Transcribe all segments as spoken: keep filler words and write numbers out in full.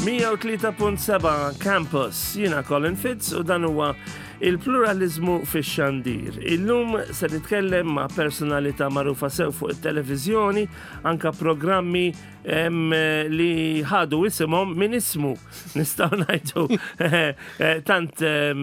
mija u tlieta punt seba' Campus, jiena Colin Fitz u dan huwa il-pluralizmu fix-xandir. Illum se nitkellem ma' personalità magħrufa sew fuq it-televiżjoni, anka programmi em, li ħadu isimhom minn ismu. Nistgħu ngħidu eh, tant em,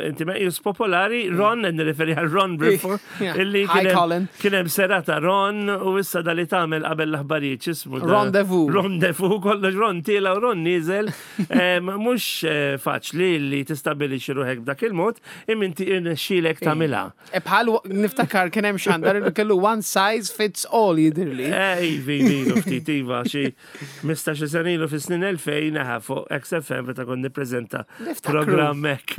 inti meqjus popolari, Ron, nirreferi għal Ron Briffa, Yeah. illi Hi, kien hemm- Colin. kien hemm serata Ron u issa da li tagħmel qabel l-aħbarijiet x'ismu da? Rendezvous. Rendezvous, kollox Ron tiela u Ron nieżel. Em, Mhux eh, faċli li tistabbilixxi ruħek b'dak il-mod, imma inti irnexxielek tagħmilha. E bħal niftakar kien hemm xandar li kellu "one size fits all", jidirli. Eh, ivi, ivi, ftit, iva, xi ħmistax-il sena ilu fis-snin elfejn naħa fuq X F M meta kont nippreżenta Niftakru. programm hekk.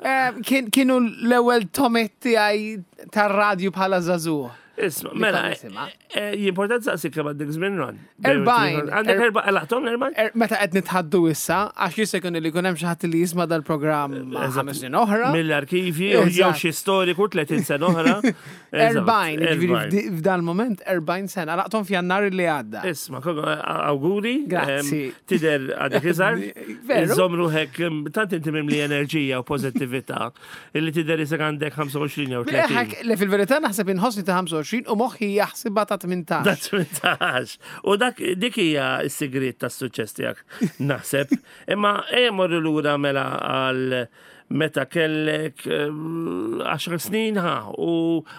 Eh, kien- Kienu l-ewwel togħmiet tiegħi tar-radju bħala żagħżugħ. Isma, Li mela, kont nisimha. eh, jimportant saqsik kemm għandek żmien, Ron. Erbgħin. Għandek Er- erba, għalaqthom l-erbgħin? Er, meta qed nitħaddu issa, għax jista' jkun li jkun hemm xi ħadd li jisma' dal-programm Eżatt. ħames snin oħra. Mill-arkivji, jew Eżatt. xi storiku tletin sena oħra. Eżatt, Erbgħin, ġifieri erbgħin. f'di- f'dal moment erbgħin sena, għalaqthom f'Jannar li għadda. Isma, koko, auguri. Grazzi. Em, Tidher għadek iżgħar. Veru. Żomm ruħek, em, tant inti mimli enerġija u pozittività, illi tidher isek għandek ħamsa u għoxrin jew tletin. Ħak, le, fil-verità naħseb inħossni ta' ħamsa u għoxrin u moħħi jaħsibha ta' tmintax. Da tmintax. U dak dik hija s-sigriet tas-suċċess tiegħek, naħseb. Imma ejja morru lura mela għal meta kellek eh, għaxar snin ħa u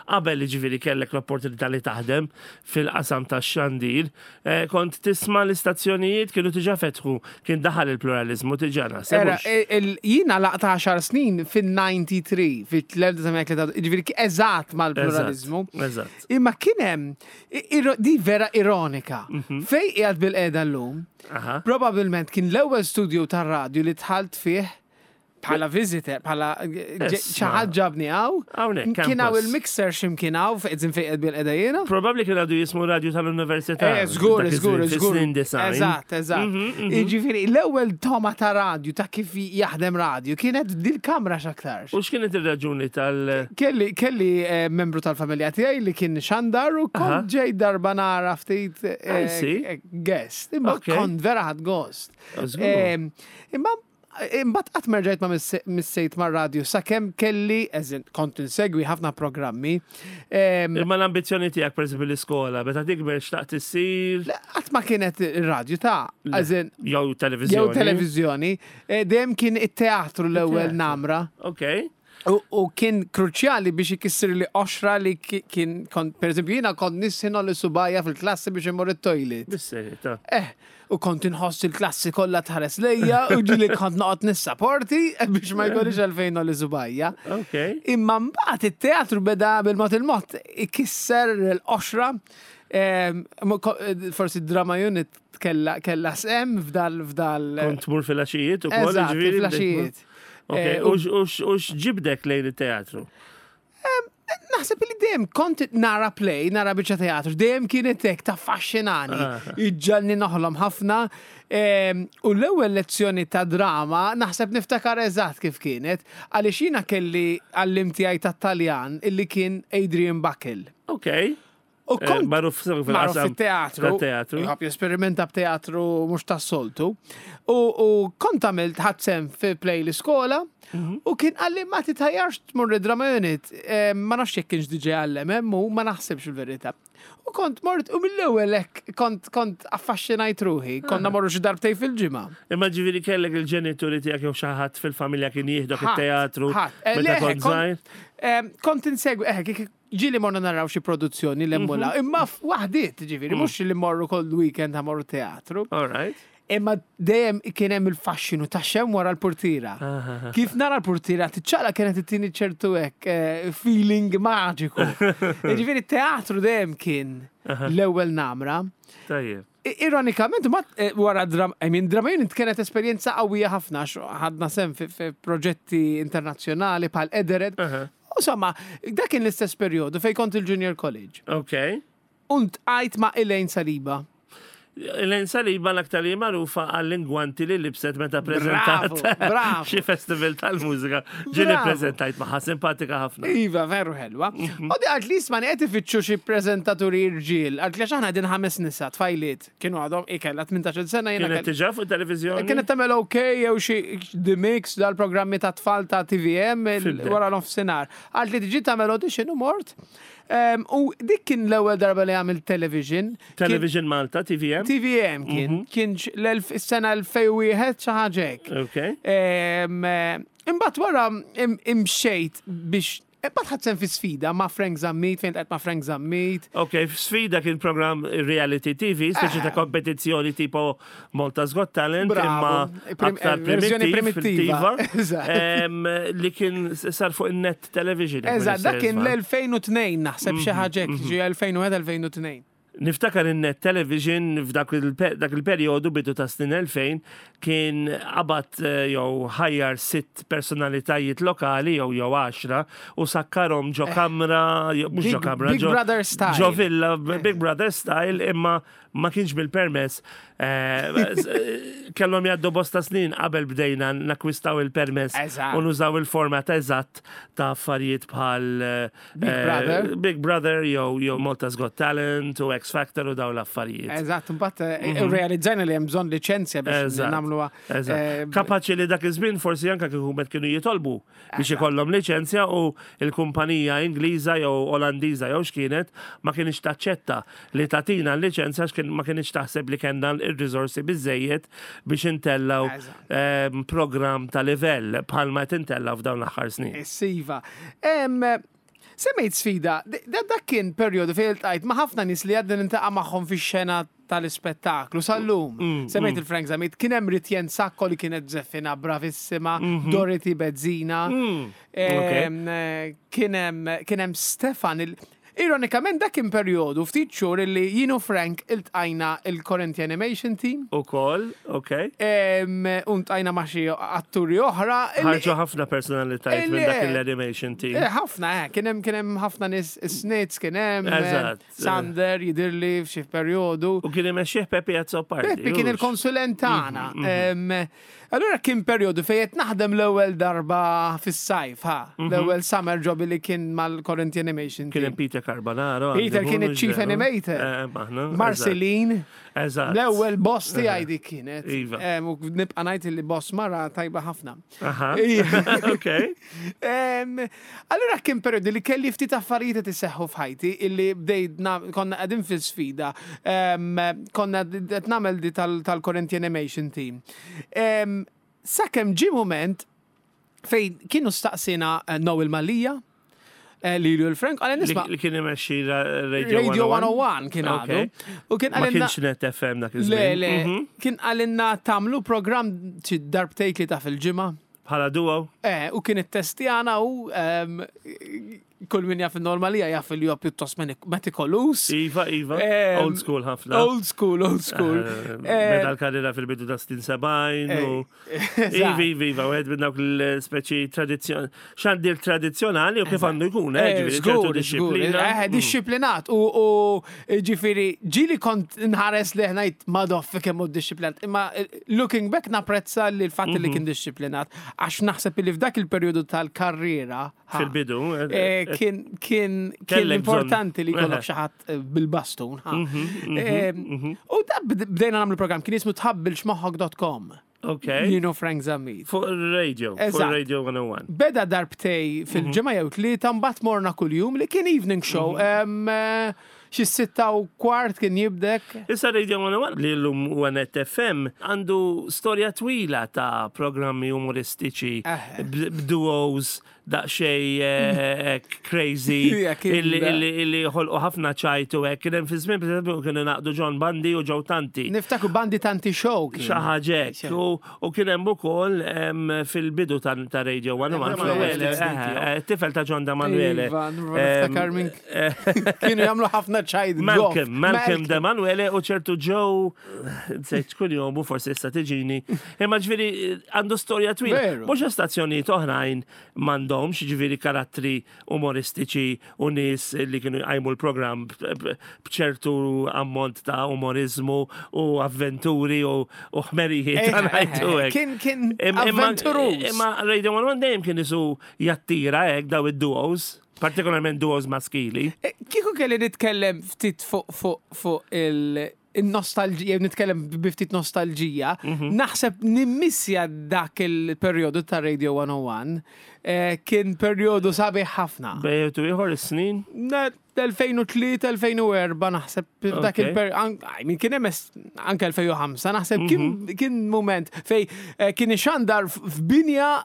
qabel, ġifieri, kellek l-opportunità li taħdem fil-qasam tax-xandir, eh, kont tisma' l-istazzjonijiet, kienu diġà fetħu, kien daħal il-pluralizmu diġà, naħseb. Era, Hux? il- jiena għalaqt għaxar snin fil-tnejn u disgħin, fil-elf disa' mija, ġifieri eżatt mal-pluralizmu. Eżatt. Imma kien hemm iro- di vera ironika. Mhm. Fej qiegħed bil-qiegħda llum, Aha. probabilment kien l-ewwel studio tar-radju li dħalt fih bħala visitor, bħala Isma. xi ħadd ġabni hawn. Hawnhekk, Kien hawn campus. il-mixer x'imkien hawn, fejn fejn qiegħed bil-qiegħda jiena. Probabbli kien għadu jismu radju tal-università. Eh, żgur, dak żgur, iż-żmien, żgur. fis-snin disgħin. Eżatt, eżatt. Mhm, Jiġifieri, l-ewwel togħma ta' radju, ta' kif jaħdem radju, kienet dil-kamra x'aktarx. U x'kienet ir-raġuni tal- Kelli, kelli eh, membru tal-familja tiegħi li kien xandar u Aha. kont ġej darba nara ftit eh, I see. eh, guest. Imma Okay. kont vera ħadt gost. Oh, żgur. Eh, Imma imbagħad qatt merġajt ma misse- missejt mar-radju sakemm kelli, eżin, kont insegwi ħafna programmi. Em, Imma l-ambizjoni tiegħek, per eżempju, l-iskola, meta tikber xtaqt issir Le, qatt ma kienet ir-radju ta' eżin, jew televiżjoni. jew televiżjoni, eh, dejjem kien it-teatru l-ewwel It-teatru. namra. Ok. U, u kien kruċjali biex ikisser li qoxra li ki- kien, kont, per eżempju, jiena kont nisħin li subgħajja fil-klassi biex immur it-toilet. Bis-serjetà. Eh, u kont inħoss il-klassi kollha tħares lejja u ġieli kont noqgħod nissaporti biex ma jkollix għalfejn li subgħajja. Ok. Imma mbagħad it-teatru beda bil-mod il-mod ikisser l-qoxra. Em, mo- ko- Forsi drama unit kella kella sem f'dal f'dal. Kont tmur fil-għaxijiet u koll. Eżatt, ġifieri, fil-għaxijiet. Ok, Eh, u x- u x'ġibdek lejn it-teatru? Naħseb li dejjem kont nara play, nara biċċa teatru, dejjem kienet hekk taffaxxinani, Ah. iġġagħalni noħlom ħafna. Em, U l-ewwel lezzjoni ta' drama naħseb niftakar eżatt kif kienet, għaliex jiena kelli għalliem tiegħi tat-Taljan illi kien Adrian Buckle. Ok. U Eh, kont Magħruf magħruf fil-qasam fit-teatru. tat-teatru. Jħobb jesperimenta b'teatru mhux tas-soltu. U, u kont għamilt ħadt sehem fi play l-iskola Mhm. u kien qalli, "Ma titħajjarx tmur drama unit?" Eh, Ma nafx jekk kienx diġà għallem hemm u ma naħsibx il-verità. U kont mort u mill-ewwel hekk kont kont affaxxinajt ruħi. Konna Ah. morru xi darbtej fil-ġimgħa. Imma ġifieri kellek il-ġenituri tiegħek jew xi ħadd fil-familja kien jieħdok Ħadd, it-teatru ħadd. Eh, meta le, kont kont- żgħir? Eh, Kont insegwi, eh, kik- ġieli morna naraw xi produzzjoni l-emmula, Mhm. imma waħdiet, ġifieri, Mm. mhux li morru kull weekend ħa morru teatru. All right. Imma dejjem kien hemm il-faxxinu ta' xem wara l-portira. Kif nara l-portira tiċċaqlaq kienet ittini ċertu hekk eh, feeling maġiku. Ġifieri teatru dejjem kien l-ewwel namra. Tajjeb. I- Ironikament, ma eh, wara dram, I mean, drama unit kienet esperjenza qawwija ħafna, għax ħadna sehem fi, fi proġetti internazzjonali bħal Edered. Aha. Insomma, dak kien l-istess periodu fej kont il-Junior College. Ok. U ltqajt ma' Elaine Saliba. Elaine Saliba l-aktar li magħrufa għall-ingwanti li libset meta prezentat bravo. xi festival tal-mużika. Ġieli Bravo. prezentajt magħha, simpatika ħafna. Iva, veru ħelwa. U di qaltli, "Isma', qed ifittxu xi prezentaturi irġiel." Qaltli għax aħna din ħames nisa, tfajliet. Kienu għadhom ikella tmintax-il sena jiena Kienet kelli- diġà fuq televizjoni? Kienet tagħmel OK jew xi The Mix, dal-programmi ta' tfal ta' T V M il- Fimtek. wara nofsinhar. Qaltli tiġi tagħmel audition u mort. Em, U dik kien l-ewwel darba li għamil television. Kien- Television Malta, T V M? T V M kien, kien l-elf is-sena elfejn u wieħed xi ħaġa hekk. Ok. Em, eh, Imbagħad wara im- imxejt biex imbagħad ħadt sehem fi Sfida ma' Frank Zammit, fejn qed ma' Frank Zammit. Ok, Sfida kien program reality T V, speċi ta' kompetizzjoni tipo Malta's Got Talent, Bravo. imma Prim- aktar eh, versjoni primittiv, primittiva. fil-tiva, Eżatt. Em, li kien sar fuq il-Net Television, jekk Eżatt, dak kien ma l-elfejn u tnejn naħseb xi ħaġa hekk, ġi elfejn u wieħed elfejn u tnejn. Niftakar in-Net Television f'dak il- dak il-perjodu bidu ta' snin elfejn kien qabad eh, jew ħajjar sitt personalitajiet lokali jew jew għaxra u sakkarhom ġo kamra, jew- mhux ġo Big- kamra, Big ġo- Brother style. Ġo villa, Big Brother style, imma ma kienx bil-permess. Eh, eh, Kellhom jgħaddu bosta snin qabel bdejna nakwistaw il-permess Eżatt. u nużaw il-format eżatt ta' affarijiet bħal eh, Big Brother. Big Brother jew jew Malta's Got Talent u X Factor u daw l-affarijiet. Eżatt, imbagħad eh, realizzajna li hemm bżonn liċenzja biex Eżatt. nagħmluha. Eżatt. eh, Kapaċi li dak iż-żmien forsi anka kieku met kienu jitolbu biex ikollhom liċenzja u l-kumpanija Ingliża jew Olandiża jew x'kienet ma kienx taċċetta li tagħtina l-liċenzja għax kien- ma kienx taħseb li kellna il-riżorsi biżejjed biex intellaw Eżatt. ehm, program ta' livell bħalma qed intellaw f'dawn l-aħħar snin. Iva. Em, Semmejt Sfida, da dak kien perjodu fejn iltqajt ma' ħafna nies li għadni niltaqa' magħhom fix-xena tal-ispettaklu sal-lum. Mm, Semmejt il-Frank Zammit, kien hemm Ritjen Sacco li kienet żeffina bravissima, Mhm. Dorothy Bezzina, Mm, ok. em, eh, kien hemm kien hemm Stefan il- Ironikament dak kien perjodu ftit xhur illi jien u Frank iltqajna il-Corinthian Animation Team. Ukoll, ok. Em, U ltqajna ma' xi atturi oħra. illi- Ħarġu ħafna personalitajiet minn dak Illi- l-animation team. Eh, ħafna, eh, kien hemm kien hemm ħafna nies Snitz kien hemm, eh, Eżatt. Sander jidirli f'xi perjodu. U kien imexxih Peppi Azzopardi. Peppi kien hux? il-konsulent tagħna. Mhm, Em, Allura kien perjodu fejn qed naħdem l-ewwel darba fis-sajf, ha. L-ewwel summer job li kien mal-Corinthian Animation Mhm. Kien hemm Team. Peter Carbonaro. Peter għandu kien mhux il-chief veru? animator. Eh, maħna, Marceline, Eżatt. l-ewwel boss tiegħi dik kienet. Iva. Em, U nibqa' ngħid li boss mara tajba ħafna. Aha. Ija. Ok. Em, Allura kien periodu li kelli ftit affarijiet iseħħu f'ħajti illi bdejt na- konna qegħdin fil-Sfida, em, konna qed nagħmel di tal- tal-Corinthian Animation Team. Em, Sakemm ġi moment fejn kienu staqsina eh, Noel Mallia, eh, Lilju l-Frank, għalli Li nisma' li kien imexxi ra- Radio Radio one oh one kien Ok. għadu. U kien Ma għalinna kienx Net F M dak Le, iż-żmien. le, Mhm. kien qalilna tagħmlu program xi darbtejn li ta' fil-ġimgħa. Bħala duo. Eh, u kien it-testjana u em, kull min jaf il-normalija jaf li huwa pjuttost metikolus. Iva, iva. Em, Old school ħafna. Old school, old school. Eh, Eh, Beda l-karriera fil-bidu ta' snin sebgħin u. Eżatt. Iva, iva, iva, u għed minn dawk l-speċi tradizjon, xandir tradizjonali u kif għandu jkun, eh, Eh, ġifieri ċertu żgur, żgur. disciplina. Eh, Mm. disciplinat. U u, ġifieri, ġieli kont nħares li ngħid madoffi kemm hu disciplinat. Imma eh, looking back napprezza li l-fatt li Mhm. kien disciplinat. Għax naħseb li f'dak il-perjodu tal-karriera ha, Fil-bidu. eh, eh, eh, kien kien kien Kellek bżonn. importanti li jkollok Eħe. xi ħadd eh, bil-bastun. ha. Mhm, Eh, U da bd- bdejna nagħmlu program kien jismu tħabbilx moħħok punt com. Ok. You know Frank Zammit. Fuq il-radio, fuq Eżatt. Radio one oh one. Beda darbtej fil-ġimgħa jew tlieta, mbagħad morna kuljum li kien evening show. Em, eh, Xi sitta u kwart kien jibdek. Issa Radio one oh one li l-lum huwa Net F M għandu storja twila ta' programmi umoristiċi, Eh. b- b'duos daqxej eh, crazy, Ja, kien illi da. illi illi ħolqu ħafna ċajtu hekk. Kien hemm fi żmien, pereżempju, kienu naqdu John Bundy u Joe Tanti. Niftakru Bandi Tanti Show kien. Xi ħaġa hekk. U u kien hemm ukoll em, fil-bidu ta' ta' Radio one oh one fl-ewwel, ftit snin eh, tiegħu. eh, tifel ta' John Demanuele. Iva, niftakar minn kienu jagħmlu ħafna ċajt. Malcolm, Malcolm Demanuele u ċertu Joe, nsejt kull jom u forsi issa tiġini. Imma ġifieri għandu storja twila. Veru. Mhux stazzjonijiet oħrajn m'għandhomx kellhomx, ġifieri karattri umoristiċi u nies li kienu jqajmu l-programm b'ċertu ammont ta' umorizmu u avventuri u u ħmerijiet, Eh, ngħidu hekk. Kien kien Imma- imma- avventuruż. Imma Radio one oh one dejjem kien isu jattira hekk daw id-duos, partikolarment duos maskili. Eh, Kieku kelli nitkellem ftit fuq fuq fuq il- il-nostalġija, nitkellem bi ftit nostalġija, Mhm. naħseb nimmissja dak il-perjodu ta' Radio one oh one, eh, kien perjodu sabiħ ħafna. Bejn ieħor is-snin. elfejn u tlieta, elfejn u erbgħa naħseb dak Okay. il-per, I mean, kien hemm es- anke elfejn u ħamsa, naħseb kien Mhm. kien moment fej eh, kien ixandar f- f'binja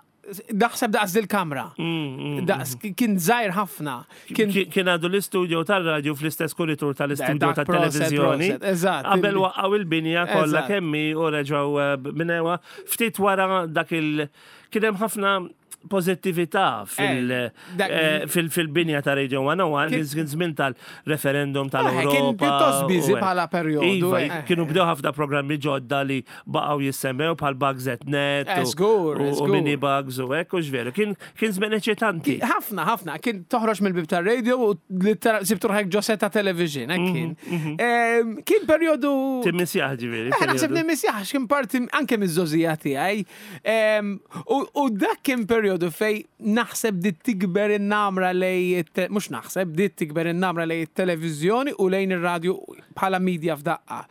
naħseb daqs dil-kamra. Mm, mm. Daqs kien żgħir ħafna. Kien Kien kien għadu l-istudio tal-radio fl-istess kuritur tal-istudio Dak proset, tal-televizjoni. proset, eżatt. Qabel waqqaw il-binja kollha Eżatt. kemmi u reġgħu eh, minewa. Ftit wara dak il- kien hemm ħafna pozittività fil- Eh, dak- eh, fil- fil-binja ta' Radio one oh one, Kien- kien żmien tal-referendum tal-Europa. Kien pjuttost busy u hekk. bħala perjodu, Iva, eh. kienu bdew ħafna programmi ġodda li baqgħu jissemmew bħal Bugs at Net Eh, u- żgur, u- u żgur. Mini Bugs u hekk u x'veru. Kien kien żmien eċitanti. Ħafna, ħafna. Kien toħroġ mill-bib ta' radio u literal sibt ruħek ġo set ta' television, hekk kien. Em, Kien perjodu. Timmissjaħ ġifieri. Eh, naħseb perjodu. nimmissjaħ, kien parti anke miż-żgħożija tiegħi. Em, U u dak kien perjodu fej naħseb bdiet tikber in-namra lej it- mhux naħseb, bdiet tikber in-namra lej it-televiżjoni u lejn ir-radju bħala media f'daqqa.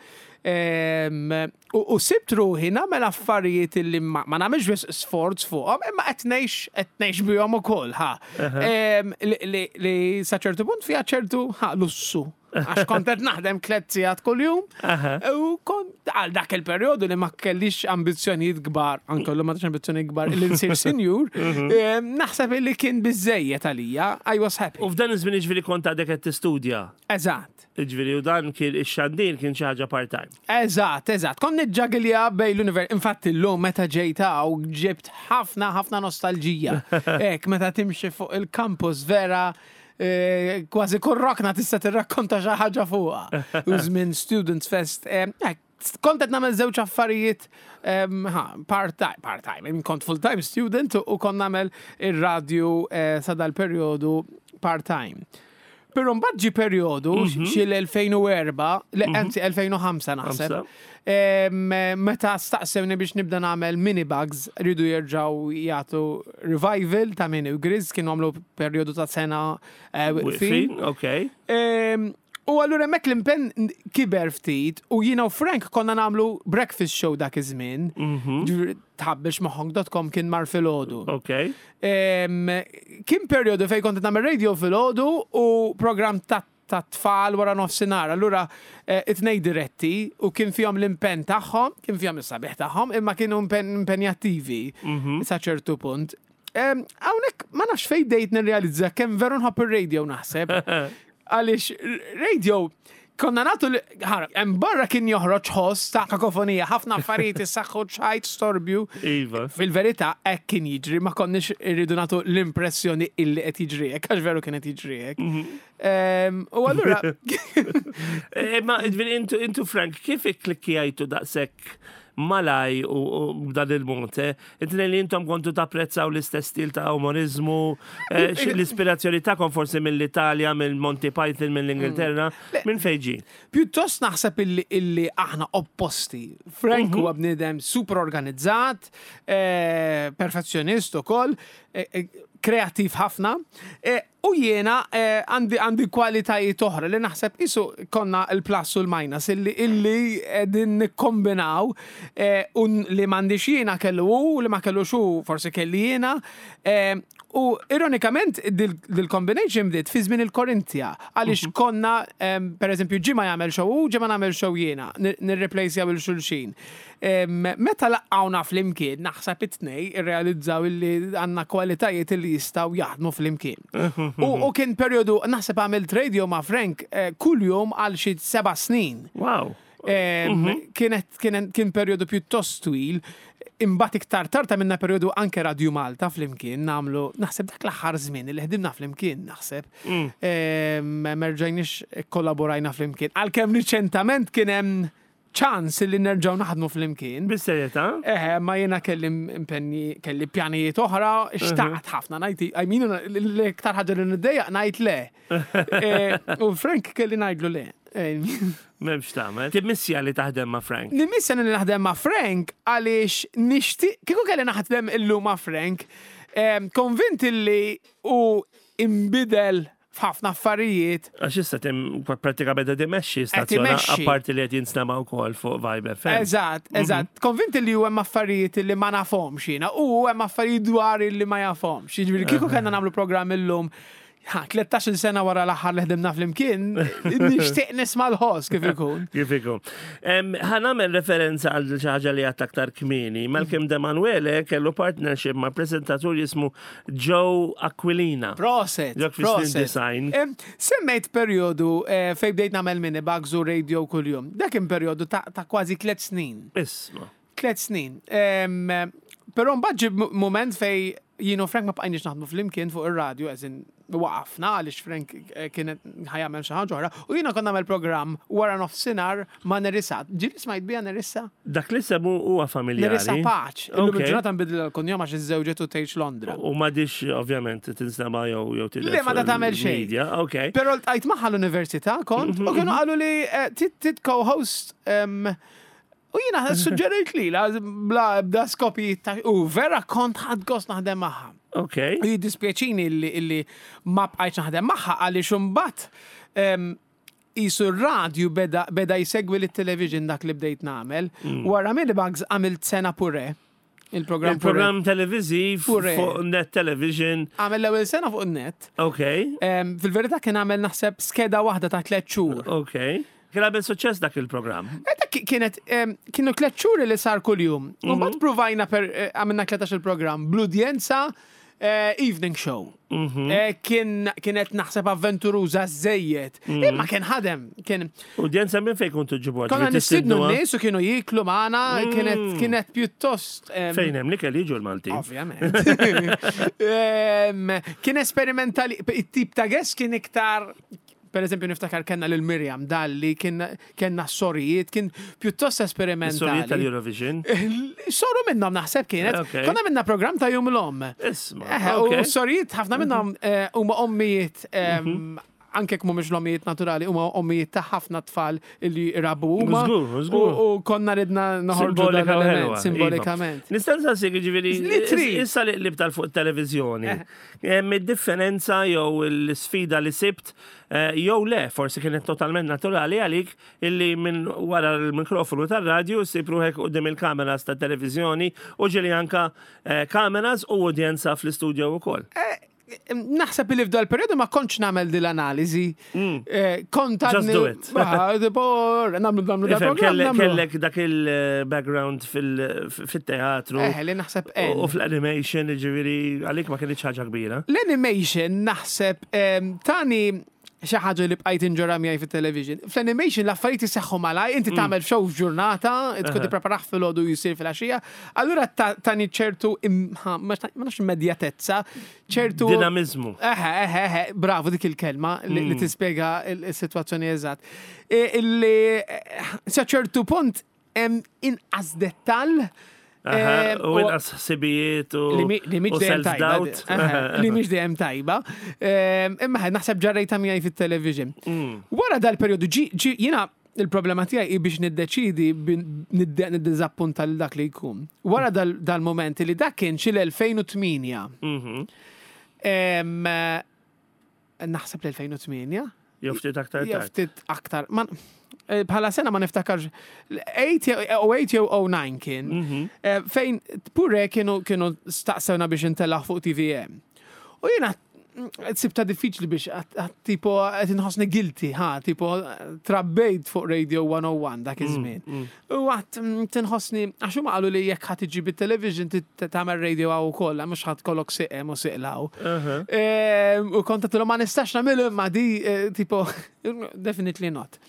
Em, U u sibt ruħi nagħmel affarijiet illi ma ma nagħmilx biss sforz fuqhom, imma qed ngħix qed ngħix bihom ukoll, ha. Em, Li li- li sa ċertu punt fiha ċertu, ha, lussu. Għax kont qed naħdem tliet sigħat kuljum. Aha. U kont għal dak il-perjodu li ma kellix ambizzjonijiet kbar, anke l ma tax ambizzjonijiet kbar li nsir sinjur, em, naħseb li kien biżejjed għalija, I was happy. U f'dan iż-żmien ġifieri kont għadek qed tistudja. Eżatt. Ġifieri u dan kien ix-xandir kien xi ħaġa part-time. Eżatt, eżatt. Kont niġġagilja bejn l-univers. Infatti l-lum meta ġejta u ġibt ħafna, ħafna nostalġija. Ek, meta timxi fuq il-campus vera, eh, kważi kull rokna tista' tirrakkonta xi ħaġa fuqha. U żmien Students Fest. eh, Ek, kont qed nagħmel żewġ affarijiet em, ha, part-time, part-time, kont full-time student u kont nagħmel ir-radju eh, sa dal-perjodu part-time. Però mbagħad ġi perjodu xi l-elfejn u erbgħa, le anzi elfejn u ħamsa naħseb. Ħamsa. Em, Meta staqsewni biex nibda nagħmel Mini Bugs, rridu jerġgħu jagħtu revival ta' Mini u Grizz, kienu għamlu perjodu ta' sena eh, waqfin. Waqfin, ok. Em, U allura hemmhekk l-impenn kiber ftit u jiena u Frank konna nagħmlu breakfast show dak iż-żmien. Ġifieri tħabbix moħħok dot com kien mar filgħodu. Ok. Em, Kien perjodu fej kont nagħmel radio filgħodu u program ta' ta' tfal wara nofsinhar. Allura eh, it-tnejn diretti u kien fihom l-impenn tagħhom, kien fihom is-sabiħ tagħhom, imma kienu impen- impenjattivi sa ċertu punt. Em, Hawnhekk ma nafx fej bdejt nirrealizza kemm veru nħobb ir-radio naħseb. Għaliex radio konna natu li- ħara, hemm barra kien joħroġ ħoss ta' kakofonija, ħafna affarijiet issaħħu ċajt storbju. Iva. Fil-verità, hekk kien jiġri, ma konniex irridu nagħtu l-impressjoni illi qed jiġri hekk, għax veru kien qed jiġri hekk. Em, U allura, Eh, Ma ġifieri intu, intu Frank, kif ikklikkjajtu daqshekk malaj u u b'dan il-mod? eh? Inti li intom kontu tapprezzaw l-istess stil ta' umorizmu, eh, x- l-ispirazzjoni tagħkom forsi mill-Italja, mill-Monty Python, mill-Ingilterra, minn fejn ġie? Pjuttost naħseb illi, illi aħna opposti. Frank huwa bniedem super organizzat, eh, perfezzjonist ukoll, eh, eh, kreattiv ħafna, eh, u jiena eh, għandi għandi kwalitajiet oħra li naħseb isu konna il-plus u l-minus illi illi din nikkombinaw eh, u li m'għandix jiena kellu hu, li ma kellux hu forsi kelli jiena. eh, U ironikament dil-combination bdiet fi żmien il-Korintia, għaliex konna, em, per eżempju, ġimgħa jagħmel show u ġimgħa nagħmel show jiena, nirreplacejaw lil xulxin. Em, Meta laqgħuna flimkien, naħseb it-tnej irrealizzaw illi għandna kwalitajiet illi jistgħu jaħdmu flimkien. U u kien perjodu, naħseb għamilt radio ma' Frank eh, kull jum għal xi seba' snin. Wow. Em, Kienet, kien, kien perjodu pjuttost twil, imbagħad iktar tard minna perjodu anke Radio Malta flimkien nagħmlu, naħseb dak l-aħħar żmien li ħdimna flimkien, naħseb. Em, Merġajniex kollaborajna flimkien. Għalkemm riċentament kien hemm ċans li nerġgħu naħdmu flimkien. Bis-serjetà? Eħe, ma jena kelli impenni, kelli pjanijiet oħra, xtaqt ħafna, ngħid, I mean, l-iktar ħaġa li niddejjaq ngħid le. Eh, U Frank kelli ngħidlu le. Eh, M'hemmx tagħmel. Timmissja li taħdem ma' Frank. Nimmissja li naħdem ma' Frank għaliex nixtieq, kieku kelli naħdem illum ma' Frank, em, konvint li u imbidel f'ħafna affarijiet. Għax issa tim prattikament qed imexxi stazzjon imexxi. apparti li qed jinstema' wkoll fuq Vibe F M. Eżatt, eżatt. Konvint li hemm affarijiet li ma nafhomx jiena u hemm affarijiet dwar li ma jafhomx. Jiġifieri kieku kellna nagħmlu programm illum, ha, tlettax-il sena wara l-aħħar li ħdimna flimkien, nixtieq nisma' l-ħoss kif ikun. Kif ikun. Em, Ħa nagħmel referenza għal xi ħaġa li għedt aktar kmieni. Malcolm Demanuele kellu partnership ma' prezentatur jismu Joe Aquilina. Proset, Dak fi snin proset. design. Em, Semmejt periodu eh, fej bdejt nagħmel Minibugs u radio kuljum. Dak kien periodu ta' ta' kważi tliet snin. Isma. Tliet snin. Em, Però mbagħad ġie moment fej jien u Frank ma bqajniex naħdmu flimkien fuq ir-radio, as in waqafna għaliex Frank eh, kienet ħa jagħmel xi ħaġa oħra, u jiena kont nagħmel programm wara nofsinhar ma' Nerissa. Ġieli smajt biha Nerissa? Dak li semmu huwa familjari. Nerissa Pace. Illum Ok. il-ġurnata nbidel l-kunjom għax iżżewġet u tgħix Londra. U m'għadhiex ovvjament tinstema' jew jew tidher Le, ma fuq da tagħmel xejn. il-media. Ok. Però ltqajt magħha l-università kont u kienu qalu li eh, tit tit co-host em, u jiena suġġerejt li la bla bda skopi ta' u vera kont ħadt gost naħdem magħha. Ok. U jiddispjaċini illi, illi ma bqajtx naħdem magħha għaliex imbagħad em, jisu r-radju beda, beda jsegwi lit-television dak li bdejt nagħmel. Wara Minibugs għamilt sena Pure. Il-programm Pure. Il-programm televiziv Pure. fuq Net Television. Għamel l-ewwel sena fuq net. Ok. Em, Fil-verità kien għamel naħseb skeda waħda ta' tliet xhur. Ok. Kien għamel suċċess dak il-programm. Eh, dak kienet, em, kienu tliet xhur li sar kuljum. U mbagħad provajna per eh, għamilna tlettax il-programm bl-udjenza eh, evening show. Eh, Kien kienet naħseb avventuruża żejjed. Imma kien ħadem, kien Udjenza minn fejn kontu ġibu? konna nistidnu n-nies u kienu jiklu magħna, kienet kienet pjuttost em, Fejn hemm li kelli jiġu l-Malti. Ovvjament. Em, Kien esperimentali, it-tip ta' guest kien iktar, per eżempju niftakar kellna lil Miriam Dalli, kien kellna sorijiet, kien pjuttost Sorijiet esperimentali. tal-Eurovision. Soru minnhom naħseb kienet. Ok. Konna minna program ta' Jum l-Omm. Isma. Eh, U Ok. sorijiet ħafna minnhom eh, huma ommijiet em, anke jekk mhumiex l-ommijiet naturali, huma ommijiet ta' ħafna tfal illi rabu huma. Żgur, żgur. U u konna ridna noħorġu dan Simbolika u l-element, ħelwa, simbolikament. Iva. Nista' nsaqsik ġifieri, Li trid. issa li qlibt għal fuq televizjoni. Hemm id-differenza jew l-sfida li sibt eh, jew le, forsi kienet totalment naturali għalik illi minn wara l-mikrofonu tar-radju ssib ruħek quddiem il-kameras ta' televizjoni u ġieli anka eh, kameras u udjenza fl-istudio wkoll. Naħseb li f'dal periodu ma kontx nagħmel din l-analiżi. Eh, Kont Mm. Just għadni- do it. Ah, tipo, nagħmlu nagħmlu dal Ifhem, program. kellek nagħmlu. kellek dak il-background fil-teatru Eh, li naħseb u en. fl-animation, ġifieri għalik ma kienx ħaġa kbira. L-animation naħseb em, tani xi ħaġa li bqajt inġorra miegħi fit-television. Fl-animation l-affarijiet iseħħu malaj, inti Mm. tagħmel show f'ġurnata, tkun tippreparah filgħodu jsir fil-għaxija. Allura ta- tani ċertu im- ha, ma ma nafx immedjatezza, ċertu Dinamizmu. Eħe, eħe, eħe, bravo dik il-kelma li, Mm. li tispjega il-situazzjoni eżatt. E, Illi eh, sa ċertu punt hemm inqas dettall. Aha, eh, u inqas ħsibijiet u li mi- li mhix u dejjem tajba. self-doubt. Eħe, Li mhix dejjem tajba. Ehm, Imma ħe, naħseb ġarrejta miegħi fit-television. Mm. Wara dal-perjodu ġi ġi jiena il-problema tiegħi hi biex niddeċidi bin- nidde- niddiżappunta lil dak li jkun. Wara dal- dal-moment li dak kien xi l-elfejn u tmienja. Mhm. Em, eh, Naħseb l-elfejn u tmienja. Jew ftit aktar Jew tard. ftit aktar. Ma- eh, Bħala sena ma niftakarx. tmien jew tmien jew disa kien. Mhm. Eh, Fejn Pure kienu kienu staqsewna biex intellaħ fuq T V M. U jiena mm, sibta diffiċli biex għat- għat tipo qed inħossni guilty, ha, tipo trabbejt fuq Radio one oh one dak iż-żmien. U għat mm, tinħossni, għax huma qalu li jekk ħadd iġib it-television tit- tagħmel radio hawn ukoll, mhux ħadd kollok siqem u siqlaw. Aha. Ehm, U kont għedtilhom ma nistax nagħmlu imma di eh, tipo definitely not.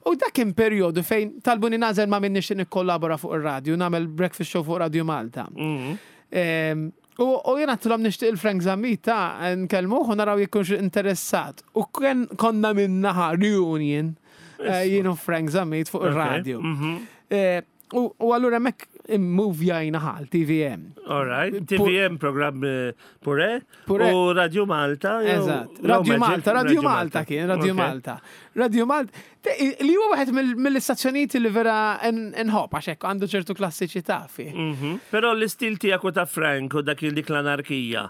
U dak kien perjodu fejn talbuni nagħżel ma' min nixtieq nikkollabora fuq ir-radju, nagħmel breakfast show fuq Radio Malta. Mhm. Ehm, U u jena għedtilhom nixtieq il-Frank Zammit ta' nkellmuh u naraw jekk ikunx interessat. U kien konna minnaħa reunion Eh, Jien u Frank Zammit fuq Ok. ir-radio. Mhm. Eh, U u allura hemmhekk immuvjajna għal T V M. All right. T V M programm eh, Pure Pure. u Radio Malta jew- Eżatt. jew Radio Magic, Malta, Radio Malta kien, Radio Ok. Malta. Radio Malta, te- li huwa wieħed mill- mill-istazzjonijiet li vera nħobb għax hekk għandu ċertu klassiċità fih. Mhm. Però l-istil tiegħek u ta' Frank u dak dik l-anarkija,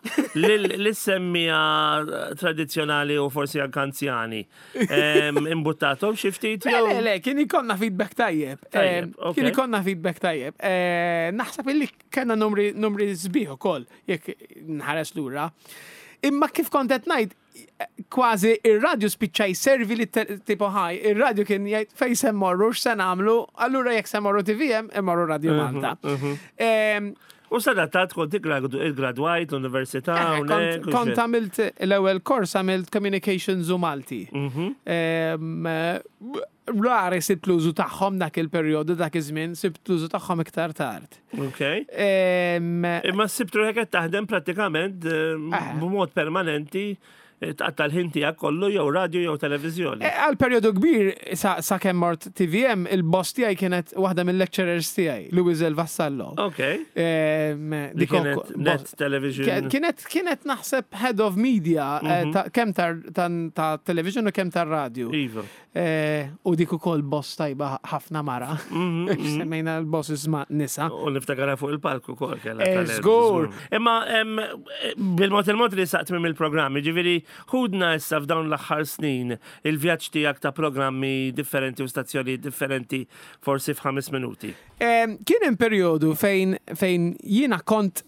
l-semmija tradizjonali u forsi anke anzjani, em, imbuttatom xi ftit Le, jew? le, le, kien ikonna feedback tajjeb. Tajjeb, Eh, ok. Kien ikonna feedback tajjeb. Eh, Naħseb illi kellna numri, numri sbieħ ukoll, jekk nħares lura. Imma kif kont qed ngħid, kważi ir-radio spiċċa jservi li te- tipo ħaj, ir-radio kien jgħid fejn se mmorru, x'se nagħmlu, allura jekk se mmorru T V M, immorru Radio Malta. Em, U sadattat kont iggradwajt l-università Eh, hawnhekk Kont u kont xi- għamilt l-ewwel kors, għamilt communications u Malti. Mhm. Em, eh, Rari sibt l-użu tagħhom dak il-perjodu, dak iż-żmien, sibt l-użu tagħhom iktar tard. Ok. Em, Imma sibt ruħek qed taħdem prattikament eh, Eh. b'mod permanenti, eh, tqatta' l-ħin tiegħek kollu jew radio jew televiżjoni. eh, Għal perjodu kbir sa, sa kemm mort T V M, il-boss tiegħi kienet waħda mill-lecturers tiegħi, Louis El Vassallo. Ok. Em, Li dik kienet ukoll- Net Television. Kienet kienet naħseb head of media, eh, Mhm. ta' kemm tar- ta' ta' television u kemm tar-radio. Iva. Eh, U dik ukoll boss tajba ħafna mara. Mhm, mhm. Semmejna l-bosses ma' nisa. U niftakarha fuq il-palku kol kella Eh, talent. Żgur. Imma em, bil-mod il-mod li saqt minn il-programmi, ġifieri ħudna issa f'dawn l-aħħar snin il-vjaġġ tiegħek ta' programmi differenti u stazzjoni differenti forsi f'ħames minuti. Em, Kien hemm perjodu fejn fejn jiena kont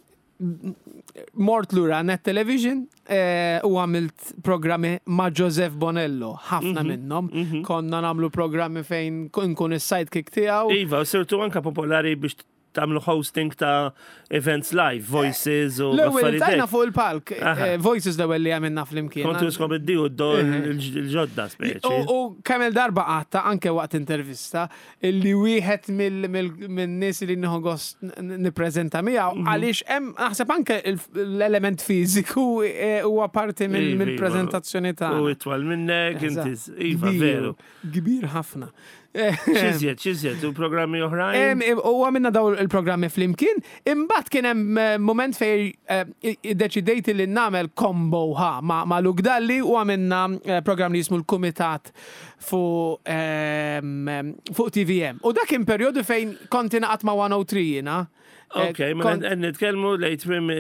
mort lura Net Television eh, u għamilt programmi ma' Joseph Bonello, ħafna minnhom. Konna nagħmlu programmi fejn nkun is-sidekick tiegħu. Iva, u sirtu anka popolari biex tagħmlu hosting ta' events live, Voices u L-ewwel affarijiet tajna hekk. fuq il-palk, Aha. eh, Voices l-ewwel li għamilna flimkien. Kontu skom id-diju il-ġodda speċi. U, u kemm il-darba għatta anke waqt intervista illi wieħed mill-nies li nieħu gost n- nippreżenta miegħu Mhm. għaliex hemm naħseb anke il- l-element fiżiku eh, huwa parti Iva, iva. mill-preżentazzjoni U tagħna. itwal minnek, inti, Eżatt. iva, Kbir, veru. Kbir ħafna. X'iżjed, x'iżjed, u programmi oħrajn? Em, em, U għamilna daw il-programmi flimkien, imbagħad kien hemm eh, moment fej eh, iddeċidejt li nagħmel combo ha ma' ma' Luke Dalli u għamilna eh, program li jismu l-Kumitat fuq em, em, fuq T V M. U dak kien perjodu fejn kont ingħaqadt ma' one oh three jiena. Eh, Ok, ma kont- nitkellmu lejn tmiem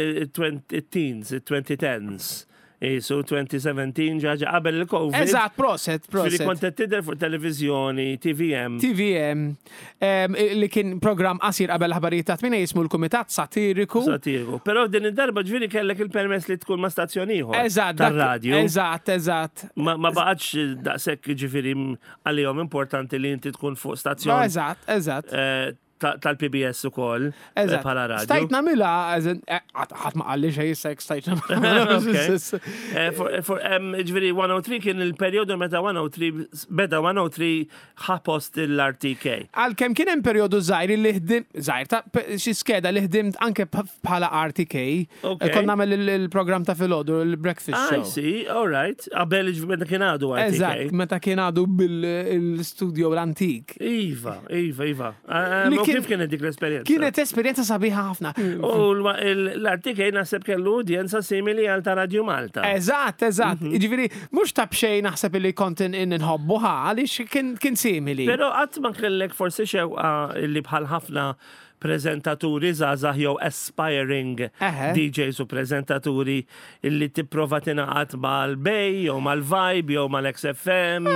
it-teens, it-twenty tens. So twenty seventeen ġaġa qabel il-Covid. Eżatt, proset, Ġifieri proset. kont qed tidher fuq televizjoni, T V M. T V M, em, li kien program qasir qabel l-aħbarijiet ta' tmina jismu l-Kumitat Satiriku. Satiriku. Però din id-darba ġifieri kellek il-permess li tkun ma' stazzjon ieħor. Eżatt, dak- Tar-radio. Eżatt, eżatt. Ma ma baqgħetx daqshekk ġifieri għalihom importanti li inti tkun fuq stazzjon Eżatt, eżatt. eh, ta- tal-P B S ukoll eh, Eżatt. bħala radio. Stajt nagħmilha, ħadd ma qalli xejn issa jekk stajt nagħmilha. Ok. Eh, for- for- em, Ġifieri one oh three kien il-perjodu meta one oh three beda one oh three ħa post l-R T K. Għalkemm kien hemm perjodu żgħir li ħdim, żgħir ta' pe- xi skeda li ħdimt anke p- bħala R T K. Ok. Kont nagħmel il- il-programm ta' filgħodu, il-breakfast I show. see, all right. Qabel ġifieri meta kien għadu R T K. Eżatt, meta kien għadu bil-studio l-antik. Iva, iva, iva. Eh, Li U kien- kif kienet dik l-esperjenza? Kienet esperjenza sabiħa ħafna. U l-R T K naħseb kellu udjenza simili għal ta' Radio Malta. Eżatt, eżatt. Mhm. Ġifieri, mhux ta' b'xejn naħseb li kont in- inħobbu ħa, għaliex kien kien simili. Pero qatt ma kellek forsi xewqa li bħal ħafna prezentaturi żgħażagħ jew aspiring Eħe. D Js u prezentaturi illi tipprova tingħaqad mal-Bay jew mal-Vibe jew mal-X F M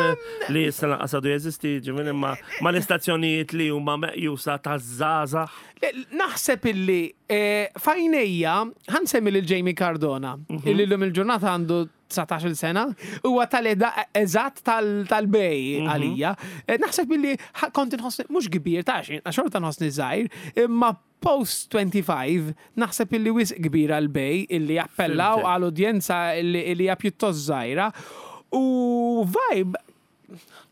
li issa lanqas għadu jeżisti, ġifieri imma mal-istazzjonijiet li huma meqjusa taż-żgħażagħ? Le, naħseb illi eh, f'għajnejja ħa nsemmi lil Jamie Cardona, illi l-lum il-ġurnata għandu dsatax-il sena, huwa tal-età eżatt tal-Bay għalija. Eh, Naħseb illi ħa- kont inħossni mhux kbir ta' xejn, xorta nħossni żgħir, imma post twenty-five naħseb illi wisq kbir għal-Bay illi jappellaw Fhimtek. għal udjenza illi illi hija pjuttost żgħira. U Vibe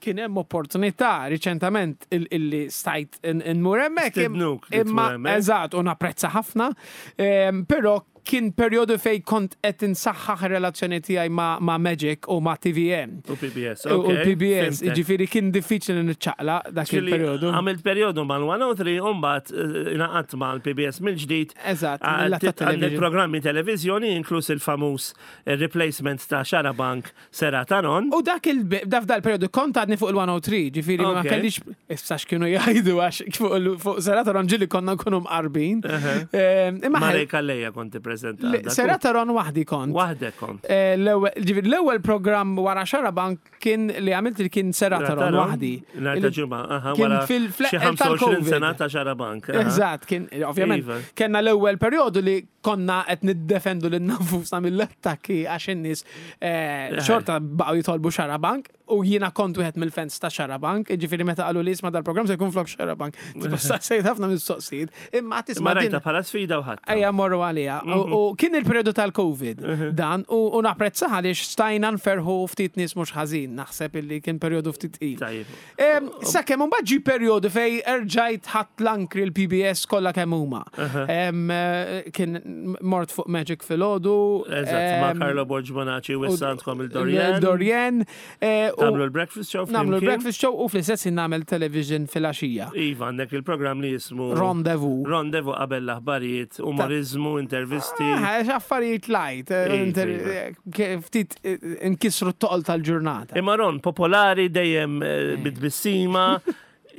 kien hemm opportunità riċentament il- illi stajt nmur hemmhekk. Stednuk li Imma tmur hemmhekk. eżatt, u napprezza ħafna, em, però Kien perjodu fej kont qed insaħħaħ ir-relazzjoni tiegħi ma', ma Magic u ma' T V M. U P B S, U ok. P B S, Fhimtek. Ġifieri kien diffiċli niċċaqlaq dak Ġifieri, il-perjodu. għamilt perjodu mal-mija u tlieta u mbagħad ingħaqadt mal-P B S mill-ġdid. Eżatt, Ah, mill-lat ta' tit- Għandek television. programmi televizjoni, inkluż il-famuż eh, replacement ta' Xarabank Serata Ron. U dak il da f'dal periodu kont għadni fuq il-mija u tlieta, ġifieri ma Ok. kellix, issa x'kienu jgħidu, għax fuq il- fuq Serata Ron ġieli konna nkunu mqarbin. Ehm, Imma Mare Calleja konti prezentat. Serata Ron waħdi kont. Waħdek kont. Eh, L-ewwel ġifieri l-ewwel programm wara Xarabank kien li għamilt li kien Serata Ron waħdi. Nhar ta' Ġimgħa, aha, Kien wara fil- xi fl- ħamsa u għoxrin tal-Covid. sena ta' Xarabank. Aha. Eżatt, kien ovvjament Iva. kellna l-ewwel perjodu li konna qed niddefendu lil nfusna mill-attakki għax in-nies eh, xorta baqgħu jitolbu Xarabank u jiena kont wieħed mill-fans ta' Xarabank, ġifieri meta qalu li isma' dal-programm se jkun flok Xarabank. Tipo saqsejt ħafna mistoqsijiet, imma Ma tisma' din rajta bħala sfida u ħadd. Ejja morru għalija. U u kien il-periodu tal-Covid dan u u napprezza għaliex stajna nferħu ftit nies mhux ħażin, naħseb illi kien periodu ftit il. Tajjeb. Em, Sakemm mbagħad ġi perjodu fej erġajt ħadd l-ankri l-P B S kollha kemm huma. Em, eh, Kien mort fuq Magic filgħodu. Eżatt, ma' em, Carlo Borg Bonaci u issa għandkom il-Dorian. Il-Dorian. eh, u Tagħmlu l-breakfast show Nagħmlu flimkien. l-breakfast show u fl-istess ħin nagħmel television fil-għaxija. Iva, għandek il-programm li jismu Rendezvous. Rendezvous qabel l-aħbarijiet, umorizmu, intervisti. Ah, affarijiet light, eh, Iva, inter- iva. eh, ke- ftit eh, nkissru t-toqol tal-ġurnata. Imma Ron, popolari, dejjem eh, bit-tbissima.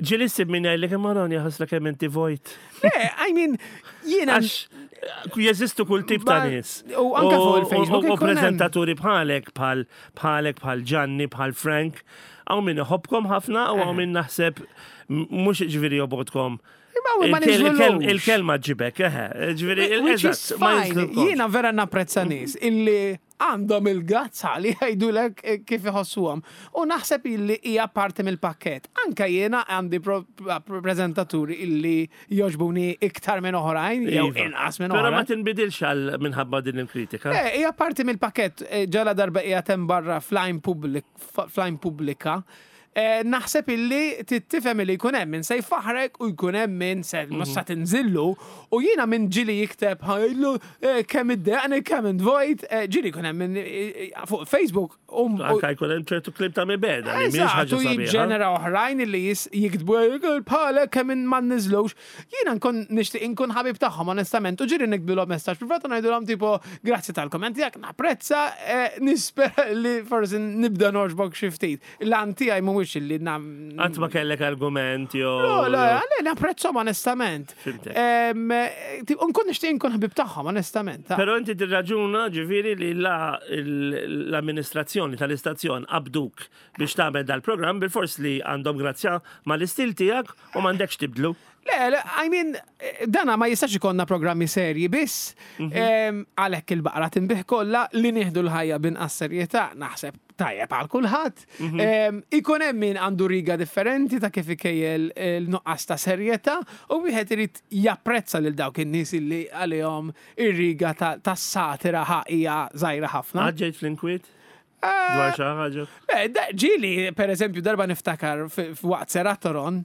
Ġieli ssib min jgħidlek, "Imma Ron, jaħasra kemm inti vojt." Le, I mean, jiena. Għax jeżistu kull tip ta' Ma- nies. u anka fuq il-Facebook U ikun hemm. prezentaturi bħalek, bħal bħalek, bħal Gianni, bħal Frank, hawn min iħobbkom ħafna u hawn min naħseb m- mhux ġifieri jobgħodkom. Imma ma Il-kel- il-kel- niżlulux. Il-kelma ġibek, eħe. Ġifieri, Which is eżatt, ma fine. jinżlulkomx. Jiena vera napprezza nies illi għandhom il-gazza li jgħidulek eh, kif iħossuhom. U naħseb illi hija parti mill-pakket. Anka jiena għandi pro- prezentaturi illi jogħġbuni iktar minn oħrajn, jew Iva. inqas minn Però ma oħrajn. tinbidilx għal minħabba din il-kritika. Eh, hija parti mill-pakket, eh, ġala darba hija tem barra fl-għajn public, fl-għajn pubblika. Eh, naħseb illi tifhem illi jkun hemm min se jfaħrek u jkun hemm min se mm sa tinżillu u jiena minn ġieli jikteb ħajlu eh, kemm iddejjaqni, kemm int vojt, eh, ġieli jkun hemm min eh, fuq Facebook u u- Anka jkun hemm ċertu kliem ta' mibegħda li mhijiex Eżatt, ħaġa u sabiħa. jiġġenera oħrajn illi jis- jiktbu bħalek kemm in ma nniżlux. Jiena nkun nixtieq inkun ħabib tagħhom onestament u ġieli niktbilhom messaġġ privat u ngħidulhom tipo grazzi tal-komment tiegħek, napprezza, eh, nispera li forsi nibda nogħġbok xi ftit. L-għan tiegħi mhuwiex illi nam. Qatt ma kellek argument jew. Le, le, le, napprezzhom onestament. Fhimtek. Em, eh, tipo, Nkun nixtieq inkun ħabib tagħhom onestament. ta. Però inti tirraġuna ġifieri li la l-amministrazzjoni tal-istazzjon qabduk biex tagħmel dal-programm bil-fors li għandhom grazzja mal-istil tiegħek u m'għandekx tibdlu. Le, le, I mean, eh, dana ma jistax ikollna programmi serji biss, em, għalhekk il-baqra tinbigħ kollha, li nieħdu l-ħajja binqas serjetà, naħseb tajjeb għal kulħadd. Em, Ikun hemm min għandu riga differenti ta' kif ikejjel il-nuqqas ta' serjetà u wieħed irid japprezza lil dawk in-nies illi għalihom ir-riga ta' tas-satira ħaqija żgħira ħafna. Għadġejt fl-inkwiet? Dwar xi ħaġa? Eh, da- Ġieli, per eżempju, darba niftakar f- f'waqt Serata Ron,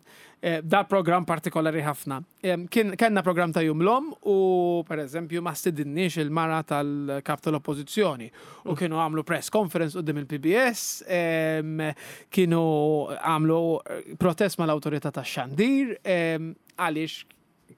eh, da program partikolari ħafna. Em, Kien kellna program ta' Jum l-Omm u, per eżempju, ma stidinniex il-mara tal-kap tal-oppozizjoni. U kienu għamlu press conference quddiem il-P B S, em, kienu għamlu eh, protest mal-autorità tax-xandir, em, għaliex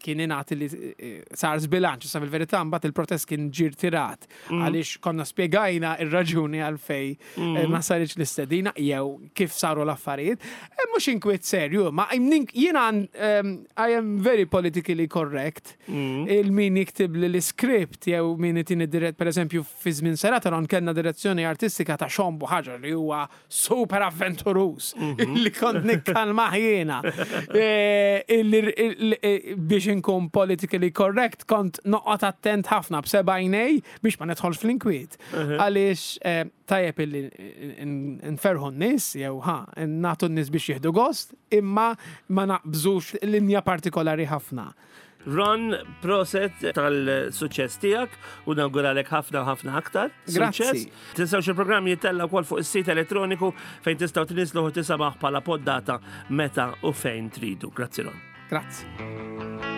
kien ingħati li eh, sar zbilanċ, sa fil-verità mbagħad il-protest kien ġie rtirat għaliex konna spjegajna ir-raġuni għalfej eh, ma saritx l-istedina jew kif saru l-affarijiet. Eh, Mhux inkwiet serju, ma jiena um, I am very politically correct. Il-min jiktib li l-script jew min itini dirett, per eżempju, fi żmien Serata Ron kellna direzzjoni artistika ta' Sean Buhagiar li huwa super avventurus li kont nikkalma jiena. Eh, illi- il- il- Biex inkun politically correct kont noqgħod attent ħafna b'seba' għajnej biex ma nidħolx fl-inkwiet. Għaliex eh, tajjeb illi nferħu n-nies jew ħa nagħtu n-nies biex jieħdu gost, imma ma naqbżux linja partikolari ħafna. Ron, proset tal-suċċess tiegħek u nawguralek ħafna u ħafna aktar. Grazzi. Suċċess. Tinsewx il-programm jittella wkoll fuq is-sit elettroniku fejn tistgħu tniżlu u tisimgħuh bħala poddata meta u fejn tridu. Grazzi, Ron. Grazzi.